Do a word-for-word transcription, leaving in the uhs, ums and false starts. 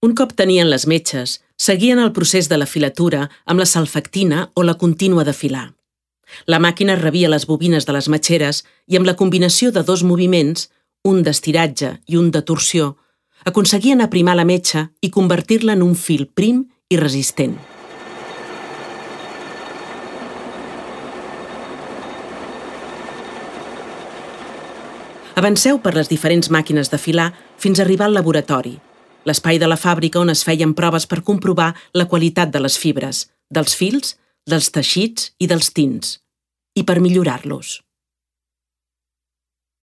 Un cop tenien les metxes, seguien el procés de la filatura amb la salfactina o la contínua de filar. La màquina rebia les bobines de les metxeres i amb la combinació de dos moviments, un d'estiratge i un de torsió, aconseguien aprimar la metxa i convertir-la en un fil prim i resistent. Avanceu per les diferents màquines de filar fins a arribar al laboratori, l'espai de la fàbrica on es feien proves per comprovar la qualitat de les fibres, dels fils, dels teixits i dels tints, i per millorar-los.